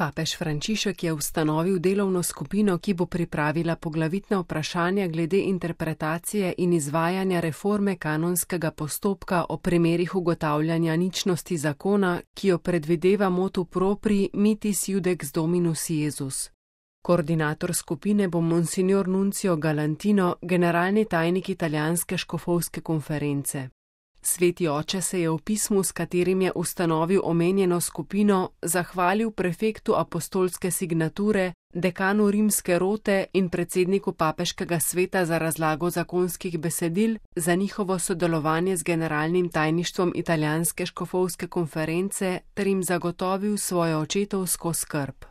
Papež Frančišek je ustanovil delovno skupino, ki bo pripravila poglavitna vprašanja glede interpretacije in izvajanja reforme kanonskega postopka o primerih ugotavljanja ničnosti zakona, ki jo predvideva motu propri Mitis Iudex Dominus Iesus. Koordinator skupine bo Monsignor Nuncio Galantino, generalni tajnik italijanske škofovske konference. Sveti oče se je v pismu, s katerim je ustanovil omenjeno skupino, zahvalil prefektu apostolske signature, dekanu rimske rote in predsedniku papeškega sveta za razlago zakonskih besedil za njihovo sodelovanje z generalnim tajništvom italijanske škofovske konference ter jim zagotovil svojo očetovsko skrb.